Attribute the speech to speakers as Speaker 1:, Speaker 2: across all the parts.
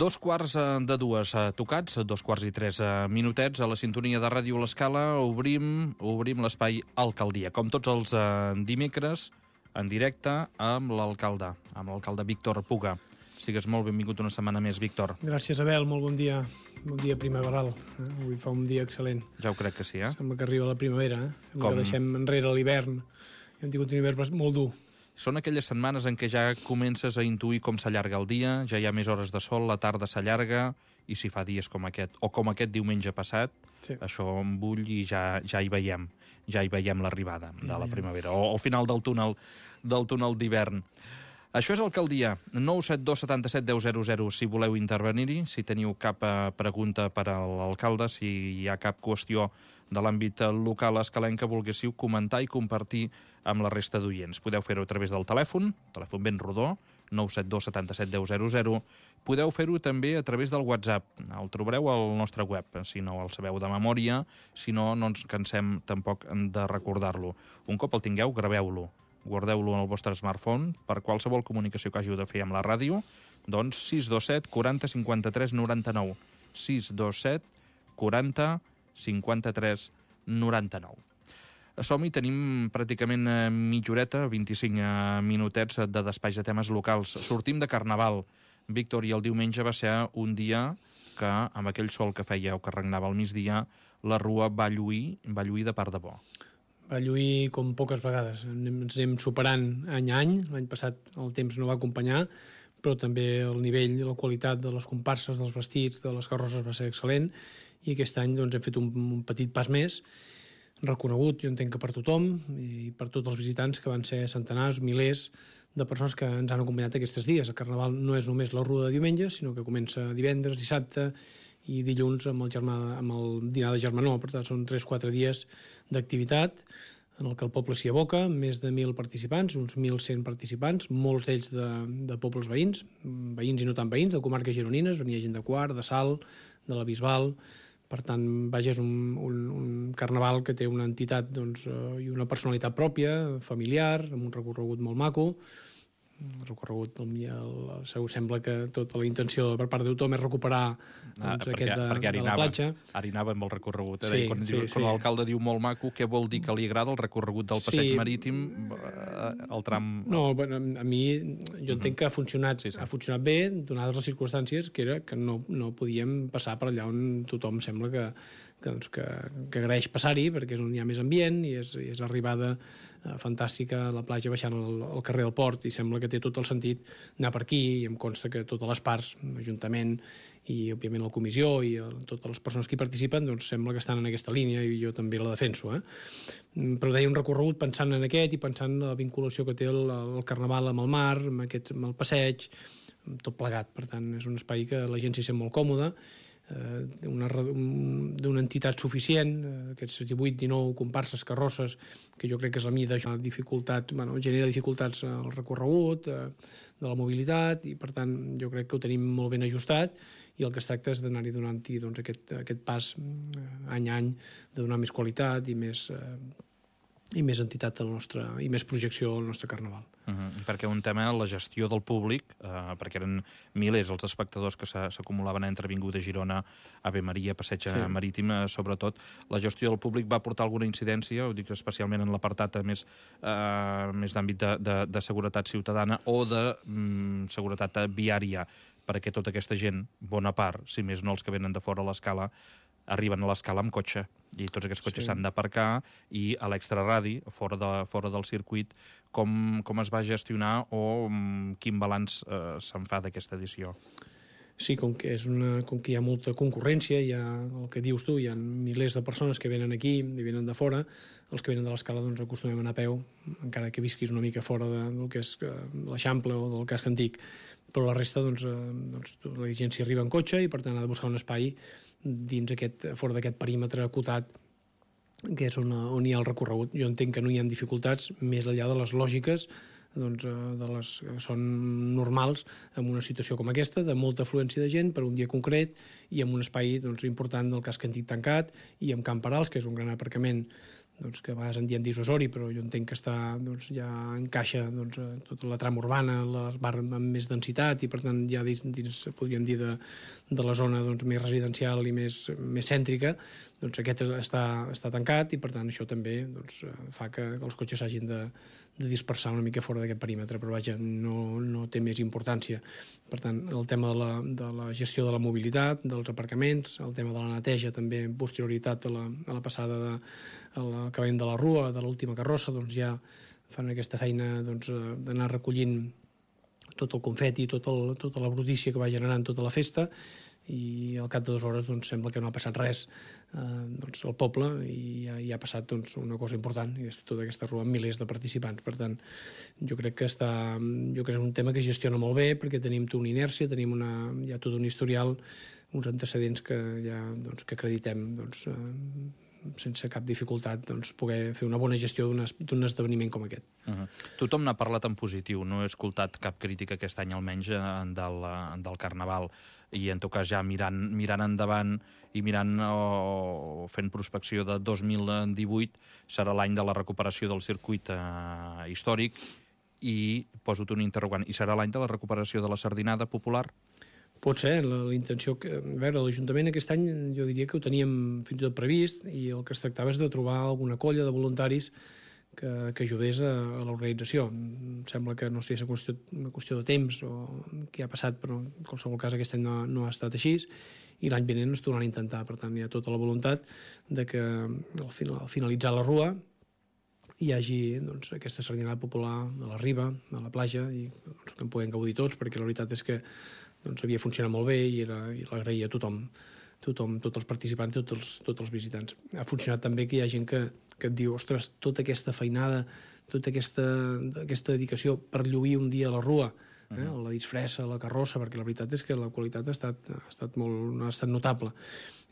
Speaker 1: 2:45, tocats, 2:03 a la sintonia de Ràdio L'Escala, obrim l'espai Alcaldia. Com tots els dimecres, en directe amb l'alcalde Víctor Puga. Sigues molt benvingut una setmana més, Víctor.
Speaker 2: Gràcies, Abel, molt bon dia primaveral. Avui fa un dia excel·lent.
Speaker 1: Ja ho crec que sí,
Speaker 2: Sembla que arriba la primavera, Sembla que deixem enrere l'hivern. Hem tingut un hivern molt dur.
Speaker 1: Són aquelles setmanes en què ja comences a intuir com s'allarga el dia, ja hi ha més hores de sol, la tarda s'allarga, i si fa dies com aquest, o com aquest diumenge passat, sí, això embull i ja hi veiem l'arribada de la primavera, o al final del túnel d'hivern. Això és Alcaldia, 972 77 10 00, si voleu intervenir-hi, si teniu cap pregunta per a l'alcalde, si hi ha cap qüestió de l'àmbit local escalenc que volguéssiu comentar i compartir amb la resta d'oients. Podeu fer-ho a través del telèfon ben rodó, 972 77 10 00. Podeu fer-ho també a través del WhatsApp. El trobareu al nostre web, si no el sabeu de memòria, si no, no ens cansem tampoc de recordar-lo. Un cop el tingueu, graveu-lo. Guardeu-lo en el vostre smartphone per qualsevol comunicació que hàgiu de fer amb la ràdio, doncs 627 40 53 99. 627 40 53 99. Som-hi, tenim pràcticament mitja horeta, 25 minutets de despatx de temes locals. Sortim de Carnaval, Víctor, i el diumenge va ser un dia que, amb aquell sol que feia o que regnava al migdia, la rua va lluir de part de bo.
Speaker 2: Va lluir com poques vegades. Ens anem superant any a any. L'any passat el temps no va acompanyar, però també el nivell i la qualitat de les comparses, dels vestits, de les carrosses va ser excel·lent, i aquest any doncs, hem fet un petit pas més, reconegut, jo entenc que per tothom, i per tots els visitants, que van ser centenars, milers de persones que ens han acompanyat aquests dies. El Carnaval no és només la rua de diumenge, sinó que comença divendres, dissabte i dilluns amb el dinar de germanor. Per tant, són 3-4 dies d'activitat en el que el poble s'hi aboca, més de 1.000 participants, uns 1.100 participants, molts d'ells de pobles veïns i no tan veïns, de comarques gironines, venia gent de Quart, de Salt, de la Bisbal. Per tant, vaja, és un carnaval que té una entitat i una personalitat pròpia, familiar, amb un recorregut molt maco. El recorregut, sembla que tota la intenció per part de tothom és recuperar aquest de la platja.
Speaker 1: Ara hi anava amb el recorregut. Quan l'alcalde diu molt maco, què vol dir que li agrada el recorregut del passeig marítim, el tram...
Speaker 2: No, a mi, jo entenc que ha funcionat bé, donades les circumstàncies, que era que no podíem passar per allà on tothom sembla que agraeix passar-hi, perquè és on hi ha més ambient i és arribada fantàstica a la platja baixant al carrer del Port, i sembla que té tot el sentit anar per aquí, i em consta que totes les parts, l'Ajuntament i òbviament la comissió i totes les persones que hi participen, doncs sembla que estan en aquesta línia, i jo també la defenso. Però deia un recorregut pensant en aquest i pensant en la vinculació que té el Carnaval amb el mar, amb el passeig, tot plegat. Per tant, és un espai que la gent s'hi sent molt còmoda, d'una entitat suficient, aquests 18-19 comparses, carrosses, que jo crec que és la mida, genera dificultats al recorregut, de la mobilitat, i per tant jo crec que ho tenim molt ben ajustat, i el que es tracta és d'anar-hi donant-hi aquest pas any a any, de donar més qualitat i més entitat i més projecció al nostre Carnaval.
Speaker 1: Perquè un tema, la gestió del públic, perquè eren milers els espectadors que s'acumulaven entre Avinguda Girona, Ave Maria, Passeig Marítim, sobretot, la gestió del públic va portar alguna incidència, ho dic especialment en l'apartat més d'àmbit de seguretat ciutadana o de seguretat viària, perquè tota aquesta gent, bona part, si més no els que venen de fora a l'Escala, arriben a l'Escala amb cotxe, i tots aquests cotxes s'han d'aparcar, i a l'extraradi, fora del circuit, com es va gestionar o quin balanç se'n fa d'aquesta edició?
Speaker 2: Sí, com que hi ha molta concurrència, hi ha el que dius tu, hi ha milers de persones que venen aquí i venen de fora. Els que venen de l'Escala doncs acostumem a anar a peu, encara que visquis una mica fora del que és l'Eixample o del casc antic, però la resta doncs la gent s'hi arriba en cotxe, i per tant ha de buscar un espai fora d'aquest perímetre acotat, que és on hi ha el recorregut. Jo entenc que no hi ha dificultats més enllà de les lògiques de les que són normals en una situació com aquesta, de molta afluència de gent per un dia concret, i amb un espai important del casc antic tancat, i amb Camp Perals, que és un gran aparcament doncs, que a vegades en diem dissuasori, però jo entenc que doncs, ja encaixa doncs, tota la trama urbana, les barres amb més densitat, i per tant ja dins podríem dir, de la zona doncs, més residencial i més cèntrica, doncs aquest està tancat, i per tant això també doncs, fa que els cotxes s'hagin de dispersar una mica fora d'aquest perímetre, però vaja, no té més importància. Per tant, el tema de la gestió de la mobilitat, dels aparcaments, el tema de la neteja també en posterioritat a la passada a l'acabament de la rua, de l'última carrossa, doncs ja fan aquesta feina doncs, d'anar recollint tot el confeti, tota la brutícia que va generant tota la festa, i al cap de 2 hores doncs, sembla que no ha passat res doncs, al poble, i ja ha passat doncs, una cosa important, i és tota aquesta rua amb milers de participants. Per tant, jo crec que és un tema que gestiona molt bé, perquè tenim tota una inèrcia, tenim ja tot un historial, uns antecedents que ja doncs, que acreditem doncs, sense cap dificultat doncs, poder fer una bona gestió d'un esdeveniment com aquest.
Speaker 1: Tothom n'ha parlat en positiu, no he escoltat cap crítica aquest any almenys del Carnaval, i en tot cas ja mirant endavant i mirant o fent prospecció de 2018 serà l'any de la recuperació del circuit històric, i poso-te un interrogant, i serà l'any de la recuperació de la sardinada popular?
Speaker 2: Pot ser, la intenció... A veure, l'Ajuntament aquest any jo diria que ho teníem fins i tot previst, i el que es tractava és de trobar alguna colla de voluntaris que ajudés a l'organització. Em sembla que no sé si és una qüestió de temps o què ha passat, però en qualsevol cas aquest any no ha estat així, i l'any vinent es tornaran a intentar. Per tant, hi ha tota la voluntat de que al finalitzar la rua hi hagi doncs, aquesta sardinada popular de la riba, de la platja, i doncs, que en puguem gaudir tots, perquè la veritat és que doncs, havia funcionat molt bé i l'agraïa a tothom, tots els participants, tots els visitants. Ha funcionat també que hi ha gent que et diu, ostres, tota aquesta feinada, tota aquesta dedicació per lluir un dia a la rua, la disfressa, la carrossa, perquè la veritat és que la qualitat ha estat notable.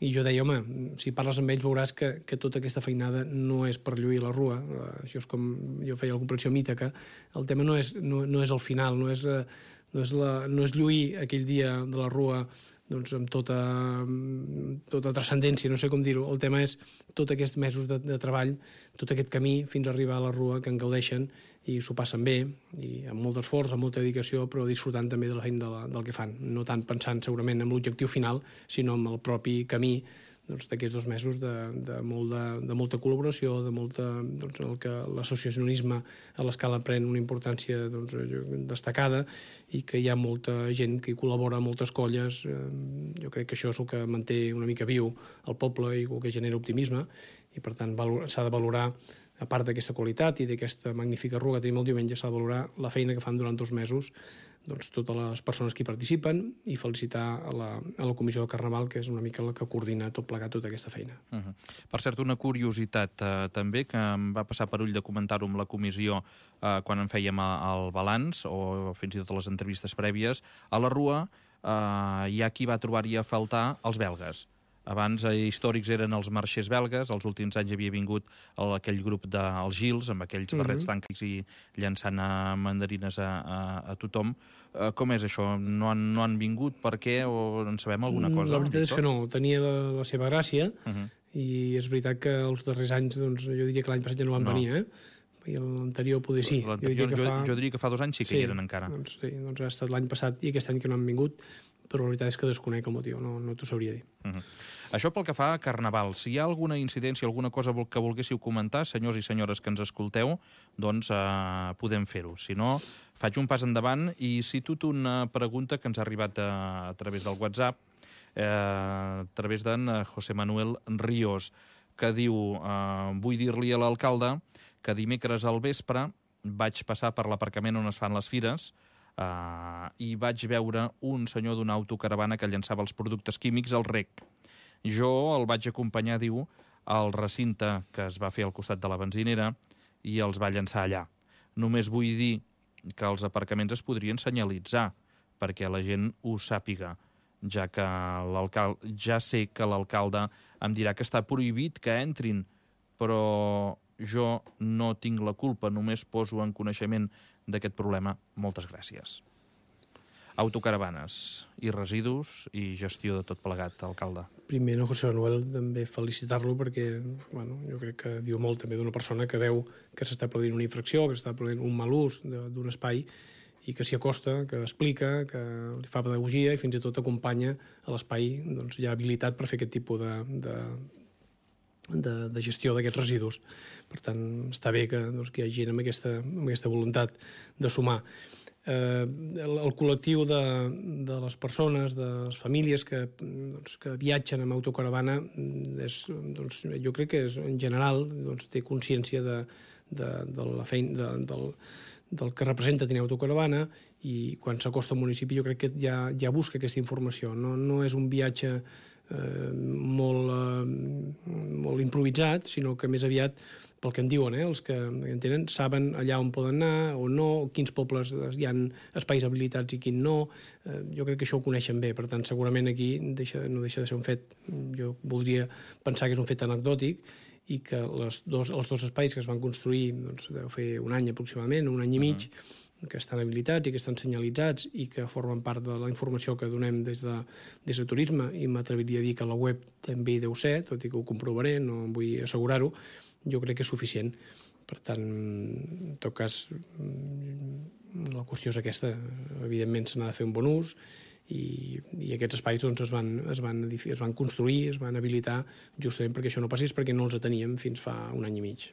Speaker 2: I jo deia, home, si parles amb ells veuràs que tota aquesta feinada no és per lluir la rua. Això és com jo feia la comprensió mita, que el tema no és el final, no és lluir aquell dia de la rua doncs, amb tota transcendència, no sé com dir-ho. El tema és tots aquests mesos de treball, tot aquest camí fins a arribar a la rua, que en gaudeixen i s'ho passen bé, i amb molt d'esforç, amb molta dedicació, però disfrutant també de la feina del que fan. No tant pensant segurament en l'objectiu final, sinó en el propi camí d'aquests 2 mesos de molta col·laboració, doncs, en el que l'associacionisme a l'escala pren una importància destacada, i que hi ha molta gent que hi col·labora, moltes colles. Jo crec que això és el que manté una mica viu el poble i el que genera optimisme, i per tant s'ha de valorar, a part d'aquesta qualitat i d'aquesta magnífica rua que tenim el diumenge, s'ha de valorar la feina que fan durant 2 mesos doncs, totes les persones que hi participen, i felicitar a la Comissió del Carnaval, que és una mica la que coordina tot plegat tota aquesta feina.
Speaker 1: Per cert, una curiositat també, que em va passar per ull de comentar-ho amb la comissió quan en fèiem el balanç, o fins i tot les entrevistes prèvies, a la rua hi ha qui va trobar-hi a faltar els belgues. Abans històrics eren els marxers belgues, els últims anys havia vingut aquell grup dels Gils, amb aquells barrets tànquics i llançant mandarines a tothom. Com és això? No han vingut? Per què? O en sabem alguna cosa?
Speaker 2: La veritat és que no. Tenia la seva gràcia, i és veritat que els darrers anys, doncs, jo diria que l'any passat ja no van venir, i l'anterior poder sí.
Speaker 1: Jo diria que fa 2 anys sí que hi eren encara.
Speaker 2: Doncs ha estat l'any passat i aquest any que no han vingut, però la veritat és que desconec el motiu, no t'ho sabria dir.
Speaker 1: Això pel que fa a Carnaval. Si hi ha alguna incidència, alguna cosa que volguéssiu comentar, senyors i senyores que ens escolteu, doncs podem fer-ho. Si no, faig un pas endavant i cito una pregunta que ens ha arribat a través del WhatsApp, a través d'en José Manuel Ríos, que diu: vull dir-li a l'alcalde que dimecres al vespre vaig passar per l'aparcament on es fan les fires i vaig veure un senyor d'una autocaravana que llançava els productes químics al rec. Jo el vaig acompanyar, diu, al recinte que es va fer al costat de la benzinera, i els va llançar allà. Només vull dir que els aparcaments es podrien senyalitzar perquè la gent ho sàpiga, ja sé que l'alcalde em dirà que està prohibit que entrin, però jo no tinc la culpa, només poso en coneixement d'aquest problema. Moltes gràcies. Autocaravanes i residus i gestió de tot plegat, alcalde.
Speaker 2: Primer, no, José Manuel, també felicitar-lo perquè jo crec que diu molt també d'una persona que veu que s'està produint una infracció, que s'està produint un mal ús d'un espai i que s'hi acosta, que explica, que li fa pedagogia i fins i tot acompanya a l'espai ja habilitat per fer aquest tipus de gestió d'aquests residus. Per tant, està bé que hi hagi gent amb aquesta voluntat de sumar. El col·lectiu de les persones, de les famílies que viatgen amb autocaravana, jo crec que en general té consciència de la feina, del que representa tenir autocaravana, i quan s'acosta al municipi jo crec que ja busca aquesta informació. No és un viatge molt improvisat, sinó que més aviat, pel que en diuen, els que en tenen, saben allà on poden anar o no, quins pobles hi ha espais habilitats i quin no. Jo crec que això ho coneixen bé, per tant, segurament aquí no deixa de ser un fet, jo voldria pensar que és un fet anecdòtic, i que els dos espais que es van construir, deu fer un any aproximadament, un any i mig, que estan habilitats i que estan senyalitzats i que formen part de la informació que donem des de turisme, i m'atreviria a dir que la web també hi deu ser, tot i que ho comprovaré, no vull assegurar-ho, jo crec que és suficient. Per tant, en tot cas, la qüestió és aquesta. Evidentment se n'ha de fer un bon ús, i aquests espais es van construir, es van habilitar justament perquè això no passés, perquè no els teníem fins fa un any i mig.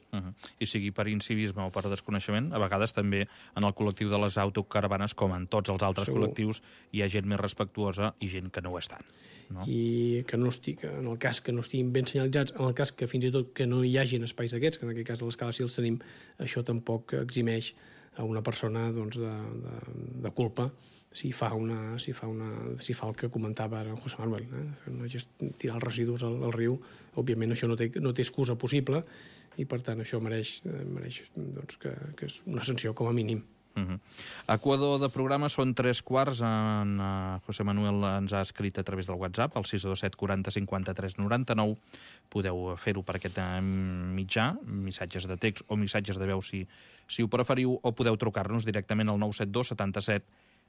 Speaker 1: I sigui per incivisme o per desconeixement, a vegades també en el col·lectiu de les autocaravanes, com en tots els altres col·lectius, hi ha gent més respectuosa i gent que no ho és tant.
Speaker 2: I que en el cas que no estiguin ben senyalitzats, en el cas que fins i tot que no hi hagin espais d'aquests, que en aquest cas a l'escala sí els tenim, això tampoc eximeix a una persona de culpa si fa el que comentava ara en José Manuel, tirar els residus al riu. Òbviament això no té excusa possible, i per tant això mereix que és una sanció com a mínim.
Speaker 1: Equador de programa, són 3:15. En José Manuel ens ha escrit a través del WhatsApp, al 627 40 53 99. Podeu fer-ho per aquest mitjà, missatges de text o missatges de veu si ho preferiu, o podeu trucar-nos directament al 972 77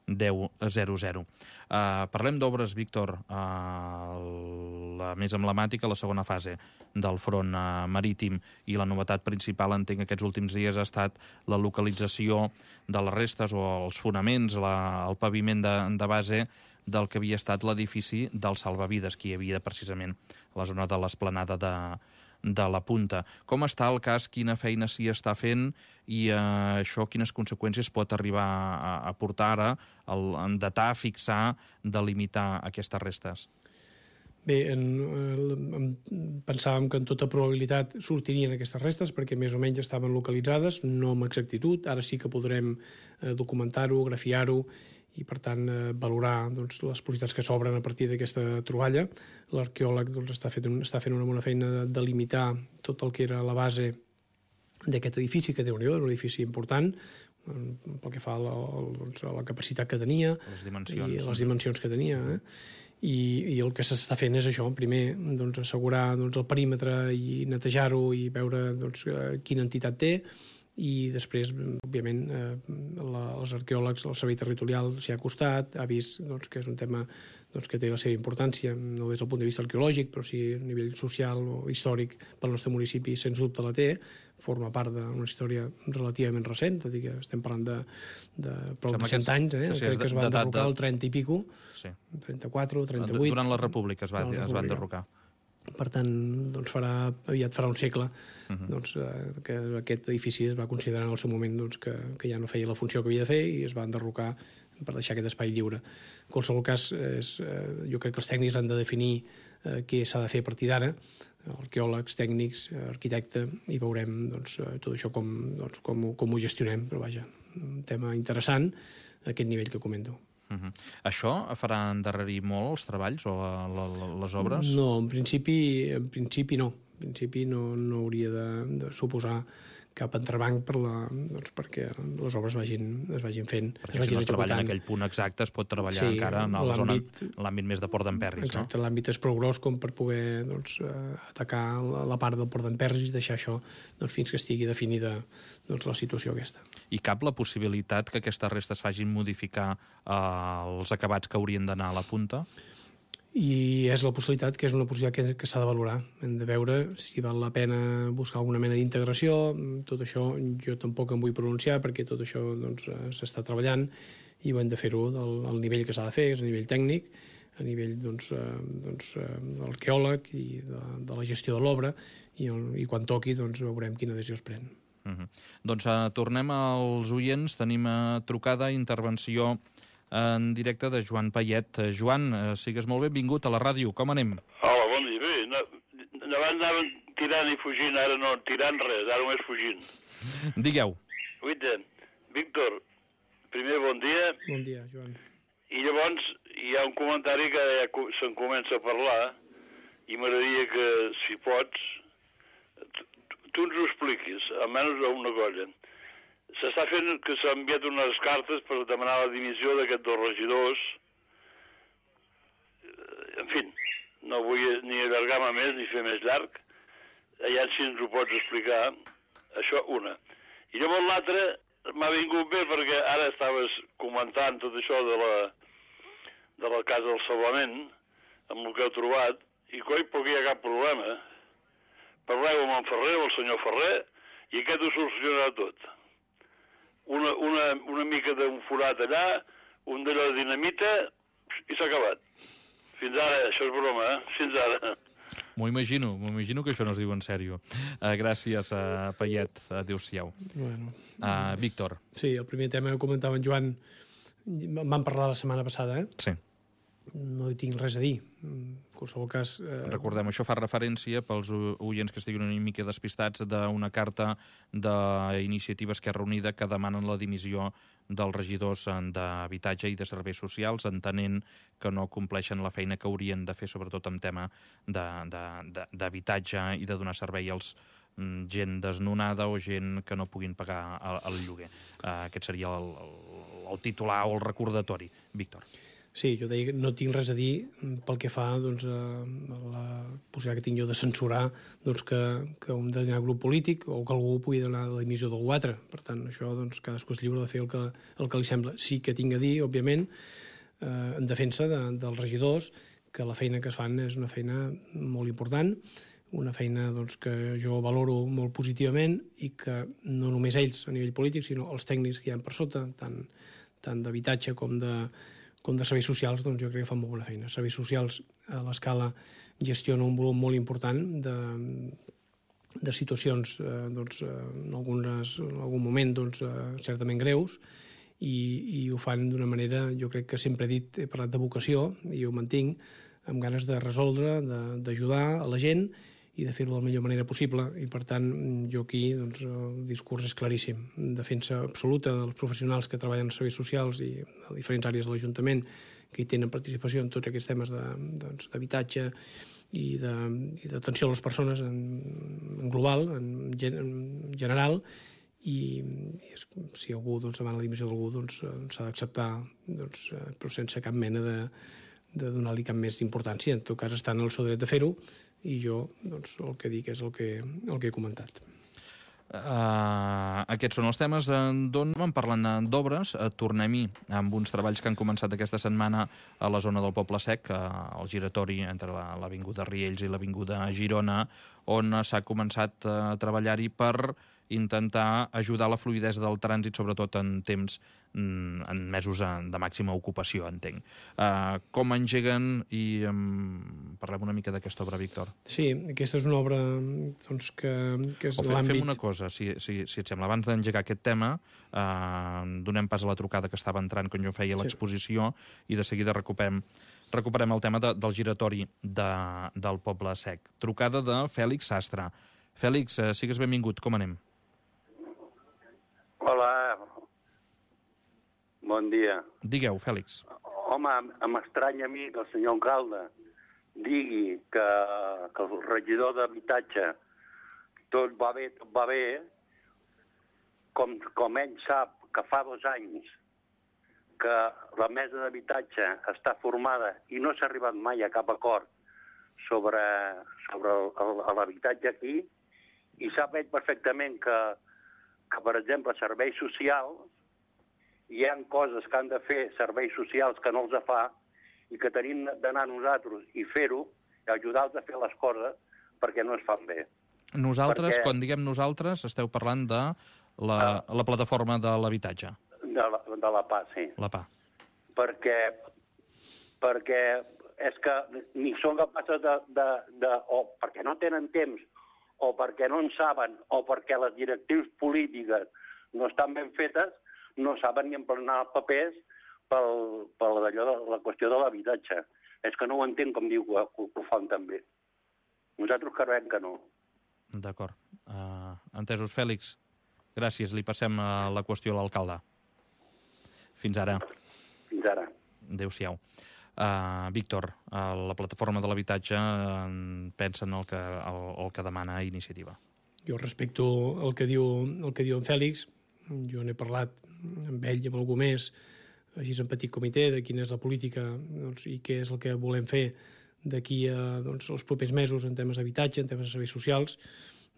Speaker 1: 1000. Parlem d'obres, Víctor. La més emblemàtica, la segona fase del front marítim, i la novetat principal, entenc, aquests últims dies ha estat la localització de les restes o els fonaments, el paviment de base del que havia estat l'edifici dels salvavides que hi havia precisament a la zona de l'esplanada de la Punta. Com està el cas? Quina feina s'hi està fent? I això quines conseqüències pot arribar a portar ara en datar, fixar, delimitar aquestes restes?
Speaker 2: Bé, pensàvem que en tota probabilitat sortirien aquestes restes perquè més o menys estaven localitzades, no amb exactitud. Ara sí que podrem documentar-ho, grafiar-ho i, per tant, valorar les possibilitats que s'obren a partir d'aquesta troballa. L'arqueòleg està fent una bona feina de delimitar tot el que era la base d'aquest edifici, que Déu-n'hi-do, era un edifici important, pel que fa a la capacitat que tenia i les dimensions que tenia. I el que s'està fent és això, primer assegurar el perímetre i netejar-ho i veure quina entitat té, i després, òbviament, els arqueòlegs, el servei territorial s'hi ha acostat, ha vist que és un tema que té la seva importància, no des del punt de vista arqueològic, però sí a nivell social o històric pel nostre municipi, sens dubte la té, forma part d'una història relativament recent, tot i que estem parlant de prou de 100 anys, crec que es va enderrocar el 30 i pico, 34, 38...
Speaker 1: Durant la República es va enderrocar.
Speaker 2: Per tant, aviat farà un segle que aquest edifici es va considerar en el seu moment que ja no feia la funció que havia de fer i es va enderrocar per deixar aquest espai lliure. En qualsevol cas, jo crec que els tècnics han de definir què s'ha de fer a partir d'ara, arqueòlegs, tècnics, arquitecte, i veurem tot això com ho gestionem, però vaja, un tema interessant a aquest nivell que comento.
Speaker 1: Això farà endarrerir molt els treballs o les obres?
Speaker 2: No, en principi no. En principi no hauria de suposar cap entrebanc perquè les obres es vagin fent.
Speaker 1: Perquè si no es treballa en aquell punt exacte es pot treballar encara en l'àmbit més de Port d'Emperris.
Speaker 2: Exacte, l'àmbit és prou gros com per poder atacar la part del Port d'Emperris i deixar això fins que estigui definida la situació aquesta.
Speaker 1: I cap la possibilitat que aquestes restes facin modificar els acabats que haurien d'anar a la punta?
Speaker 2: I és la possibilitat, que és una possibilitat que s'ha de valorar. Hem de veure si val la pena buscar alguna mena d'integració. Tot això jo tampoc em vull pronunciar perquè tot això s'està treballant i ho hem de fer-ho al nivell que s'ha de fer, és a nivell tècnic, a nivell arqueòleg i de la gestió de l'obra i quan toqui veurem quina decisió es pren.
Speaker 1: Doncs tornem als oients. Tenim trucada, intervenció en directe de Joan Payet. Joan, sigues molt benvingut a la ràdio. Com anem?
Speaker 3: Hola, bon dia. Bé, abans anaven tirant i fugint, ara no tirant res, ara només fugint.
Speaker 1: Digueu.
Speaker 3: Guaita, Víctor, primer bon dia.
Speaker 2: Bon dia, Joan.
Speaker 3: I llavors hi ha un comentari que ja se'n comença a parlar i m'agradaria que, si pots, tu ens ho expliquis, almenys una cosa. S'està fent que s'ha enviat unes cartes per demanar la dimissió d'aquests dos regidors. En fi, no vull ni allargar-me més ni fer més llarg. Allà si ens ho pots explicar. Això, una. I llavors l'altra m'ha vingut bé perquè ara estaves comentant tot això de la casa del Salvament, amb el que heu trobat, i coi, perquè hi ha cap problema. Parleu amb en Ferrer, el senyor Ferrer, i aquest ho solucionarà tot. Una mica d'un forat allà, un de la dinamita, i s'ha acabat. Fins ara, això és broma, Fins ara.
Speaker 1: M'ho imagino que això no es diu en sèrio. Gràcies, Payet. Adéu-siau.
Speaker 2: Bueno,
Speaker 1: Víctor.
Speaker 2: Sí, el primer tema que comentava en Joan, vam parlar la setmana passada,
Speaker 1: Sí.
Speaker 2: No hi tinc res a dir. En qualsevol cas...
Speaker 1: Recordem, això fa referència, pels oients que estiguin una mica despistats, d'una carta d'Iniciativa Esquerra Unida que demanen la dimissió dels regidors d'habitatge i de serveis socials, entenent que no compleixen la feina que haurien de fer, sobretot en tema d'habitatge i de donar servei als gent desnonada o gent que no puguin pagar el lloguer. Aquest seria el titular o el recordatori. Víctor.
Speaker 2: Sí, jo deia que no tinc res a dir pel que fa a la possibilitat que tinc jo de censurar que un determinat grup polític o que algú pugui donar la dimissió d'algú altre. Per tant, això cadascú és lliure de fer el que li sembla. Sí que tinc a dir, òbviament, en defensa dels regidors, que la feina que es fan és una feina molt important, una feina que jo valoro molt positivament i que no només ells a nivell polític, sinó els tècnics que hi ha per sota, tant d'habitatge com de serveis socials, jo crec que fan molt bona feina. Serveis socials a l'escala gestiona un volum molt important de situacions en algun moment certament greus i ho fan d'una manera, jo crec que sempre he parlat de vocació i ho mantinc, amb ganes de resoldre, d'ajudar a la gent i de fer-ho de la millor manera possible. I, per tant, jo aquí el discurs és claríssim. Defensa absoluta dels professionals que treballen en serveis socials i a diferents àrees de l'Ajuntament que hi tenen participació en tots aquests temes d'habitatge i d'atenció a les persones en global, en general, i si algú demana la dimissió d'algú s'ha d'acceptar, però sense cap mena de donar-li cap més importància. En tot cas, estan en el seu dret de fer-ho i jo el que dic és el que he comentat.
Speaker 1: Aquests són els temes d'on vam parlant d'obres. Tornem-hi amb uns treballs que han començat aquesta setmana a la zona del Poble Sec, al giratori entre l'Avinguda Riells i l'Avinguda Girona, on s'ha començat a treballar-hi per intentar ajudar la fluïdesa del trànsit, sobretot en temps, en mesos de màxima ocupació, entenc. Com engeguen i parlem una mica d'aquesta obra, Víctor?
Speaker 2: Sí, aquesta és una obra que és l'àmbit...
Speaker 1: Fem una cosa, si et sembla, abans d'engegar aquest tema, donem pas a la trucada que estava entrant quan jo feia l'exposició i de seguida recuperem el tema del giratori del Poble Sec. Trucada de Fèlix Sastre. Fèlix, sigues benvingut, com anem?
Speaker 4: Hola, bon dia.
Speaker 1: Digueu, Fèlix.
Speaker 4: Home, m'estranya a mi que el senyor alcalde digui que el regidor d'habitatge tot va bé, com ell sap que fa 2 anys que la mesa d'habitatge està formada i no s'ha arribat mai a cap acord sobre l'habitatge aquí, i sap ell perfectament que, per exemple, serveis socials, hi ha coses que han de fer serveis socials que no els fa i que tenim d'anar nosaltres i fer-ho, i ajudar-los a fer les coses perquè no es fan bé.
Speaker 1: Nosaltres, quan diguem nosaltres, esteu parlant de la plataforma de l'habitatge.
Speaker 4: De la PA, sí.
Speaker 1: La PA.
Speaker 4: Perquè és que ni són capaces o perquè no tenen temps, o perquè no en saben, o perquè les directrius polítiques no estan ben fetes, no saben ni emplenar els papers per la qüestió de l'habitatge. És que no ho entenc com diu que ho fan tan bé. Nosaltres creiem que no.
Speaker 1: D'acord. Entesos, Fèlix. Gràcies. Li passem la qüestió a l'alcalde. Fins ara.
Speaker 4: Fins ara.
Speaker 1: Adéu-siau. Víctor, la plataforma de l'habitatge pensa en el que demana Iniciativa.
Speaker 2: Jo respecto el que diu en Fèlix. Jo n'he parlat amb ell i amb algú més, així en petit comitè, de quina és la política i què és el que volem fer d'aquí a els propers mesos en temes d'habitatge, en temes de serveis socials.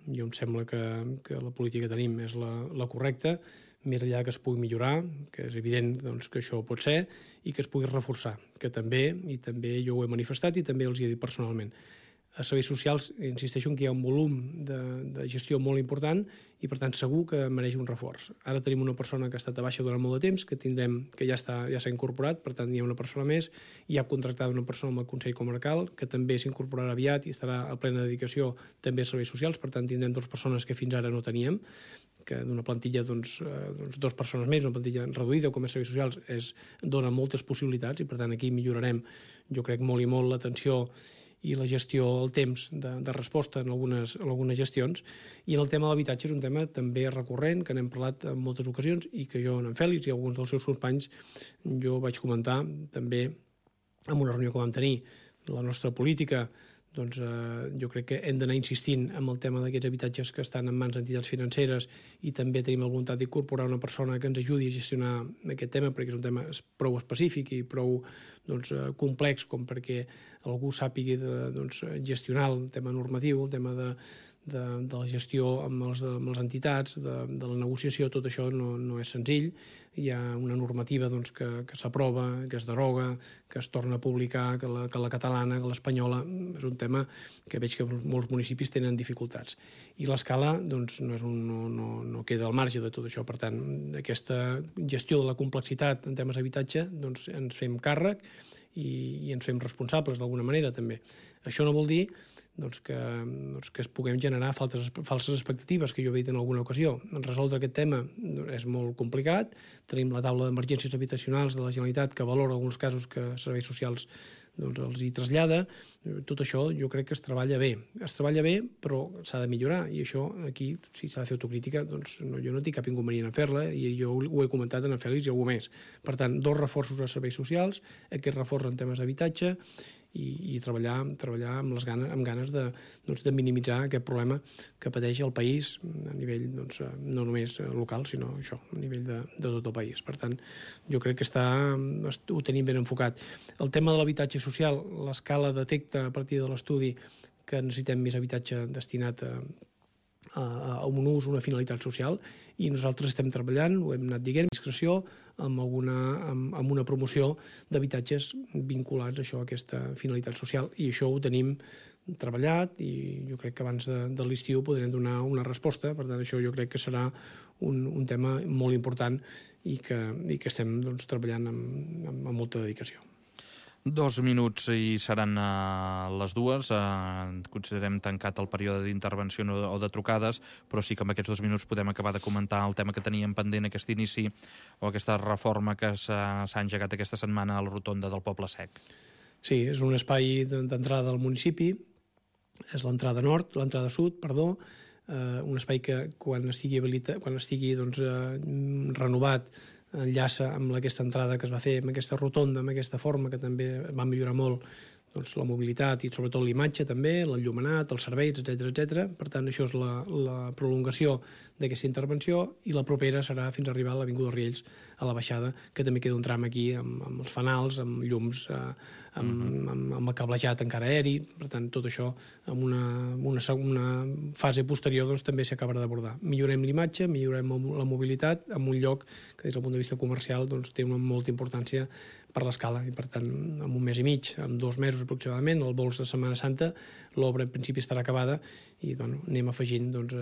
Speaker 2: Jo em sembla que la política que tenim és la correcta, més enllà que es pugui millorar, que és evident que això pot ser, i que es pugui reforçar, que també jo ho he manifestat i també els hi he dit personalment. A serveis socials, insisteixo que hi ha un volum de gestió molt important i, per tant, segur que mereix un reforç. Ara tenim una persona que ha estat a baixa durant molt de temps, que ja s'ha incorporat, per tant, hi ha una persona més, i ha contractat una persona amb el Consell Comarcal, que també s'incorporarà aviat i estarà a plena dedicació també a serveis socials, per tant, tindrem 2 persones que fins ara no teníem, que d'una plantilla 2 persones més, una plantilla reduïda com a serveis socials, dona moltes possibilitats i, per tant, aquí millorarem, jo crec, molt i molt l'atenció i la gestió, el temps de resposta en algunes gestions. I en el tema de l'habitatge és un tema també recurrent, que n'hem parlat en moltes ocasions i que jo, en Fèlix i alguns dels seus companys, jo vaig comentar també en una reunió que vam tenir. La nostra política, jo crec que hem d'anar insistint en el tema d'aquests habitatges que estan en mans d'entitats financeres, i també tenim la voluntat d'incorporar una persona que ens ajudi a gestionar aquest tema, perquè és un tema prou específic i prou complex com perquè algú sàpiga gestionar el tema normatiu, el tema de la gestió amb les entitats, de la negociació. Tot això no és senzill. Hi ha una normativa que s'aprova, que es deroga, que es torna a publicar, que la catalana, que l'espanyola. És un tema que veig que molts municipis tenen dificultats. I l'escala no queda al marge de tot això. Per tant, aquesta gestió de la complexitat en temes d'habitatge ens fem càrrec i ens fem responsables d'alguna manera també. Això no vol dir que es puguem generar falses expectatives, que jo he dit en alguna ocasió. Resoldre aquest tema és molt complicat. Tenim la taula d'emergències habitacionals de la Generalitat que valora alguns casos que serveis socials els hi trasllada. Tot això jo crec que es treballa bé. Es treballa bé, però s'ha de millorar, i això aquí, si s'ha de fer autocrítica, jo no tinc cap inconvenient en fer-la, i jo ho he comentat en Fèlix i algú més. Per tant, 2 reforços a serveis socials, aquest reforç en temes d'habitatge, i treballar amb ganes de minimitzar aquest problema que pateix el país a nivell no només local, sinó això, a nivell de tot el país. Per tant, jo crec que ho tenim ben enfocat. El tema de l'habitatge social, l'escala detecta a partir de l'estudi que necessitem més habitatge destinat a un ús, una finalitat social, i nosaltres estem treballant, ho hem anat dient, discreció, amb una promoció d'habitatges vinculats a això, a aquesta finalitat social, i això ho tenim treballat, i jo crec que abans de l'estiu podrem donar una resposta. Per tant, això jo crec que serà un tema molt important i que estem treballant amb molta dedicació.
Speaker 1: 2 minuts i seran les 2. Considerem tancat el període d'intervenció o de trucades, però sí que amb aquests 2 minuts podem acabar de comentar el tema que teníem pendent, aquest inici o aquesta reforma que s'ha engegat aquesta setmana a la rotonda del Poble Sec.
Speaker 2: Sí, és un espai d'entrada al municipi, és l'entrada sud, un espai que quan estigui renovat enllaça amb aquesta entrada que es va fer, amb aquesta rotonda, amb aquesta forma que també va millorar molt doncs, la mobilitat i sobretot l'imatge també, l'enllumenat, els serveis, etc. Per tant, això és la prolongació d'aquesta intervenció, i la propera serà fins a arribar a l'Avinguda Riells, a la baixada, que també queda un tram aquí amb els fanals, amb llums, amb el cablejat encara aeri. Per tant, tot això en una fase posterior doncs, també s'acabarà d'abordar. Millorem l'imatge, millorem la mobilitat en un lloc que des del punt de vista comercial doncs, té una molta importància per l'escala, i per tant, en un mes i mig, en 2 mesos aproximadament, el vols de Setmana Santa, l'obra en principi estarà acabada, i bueno, anem afegint doncs,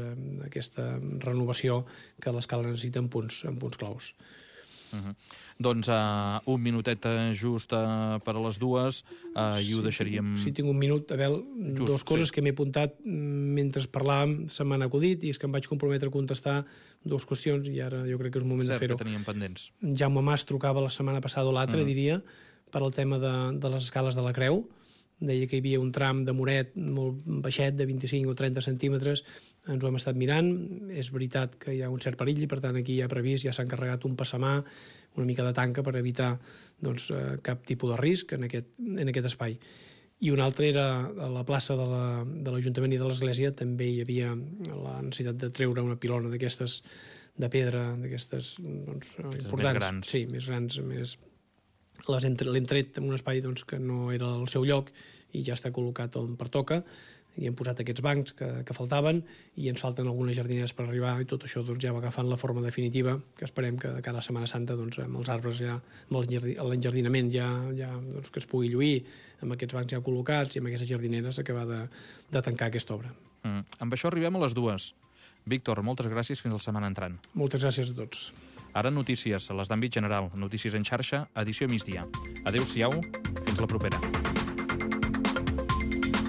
Speaker 2: aquesta renovació que l'escala necessita en punts claus.
Speaker 1: Doncs un minutet just per a les 2 i ho deixaríem...
Speaker 2: Si tinc un minut, Abel, dues coses que m'he apuntat mentre parlàvem, se m'han acudit, i és que em vaig comprometre a contestar 2 qüestions, i ara jo crec que és un moment de fer-ho.
Speaker 1: Cert que teníem pendents.
Speaker 2: Jaume Mas trucava la setmana passada o l'altra, diria, per al tema de les escales de la Creu. Deia que hi havia un tram de muret molt baixet, de 25 o 30 centímetres. Ens ho hem estat mirant. És veritat que hi ha un cert perill, i per tant aquí ja ha previst, ja s'ha encarregat un passamà, una mica de tanca per evitar doncs, cap tipus de risc en aquest espai. I un altre era a la plaça de l'Ajuntament i de l'Església, també hi havia la necessitat de treure una pilona d'aquestes de pedra, d'aquestes doncs, importants.
Speaker 1: Més grans.
Speaker 2: Sí, més grans, l'hem tret en un espai doncs, que no era el seu lloc, i ja està col·locat on pertoca, i hem posat aquests bancs que faltaven, i ens falten algunes jardineres per arribar, i tot això doncs, ja va agafant la forma definitiva, que esperem que de cara a Setmana Santa doncs, amb els arbres ja, amb l'enjardinament ja doncs, que es pugui lluir, amb aquests bancs ja col·locats i amb aquestes jardineres, acabar de tancar aquesta obra.
Speaker 1: Amb això arribem a les 2. Víctor, moltes gràcies, fins la setmana entrant.
Speaker 2: Moltes gràcies a tots.
Speaker 1: Ara notícies, les d'àmbit general, notícies en xarxa, edició migdia. Adéu-siau, fins la propera.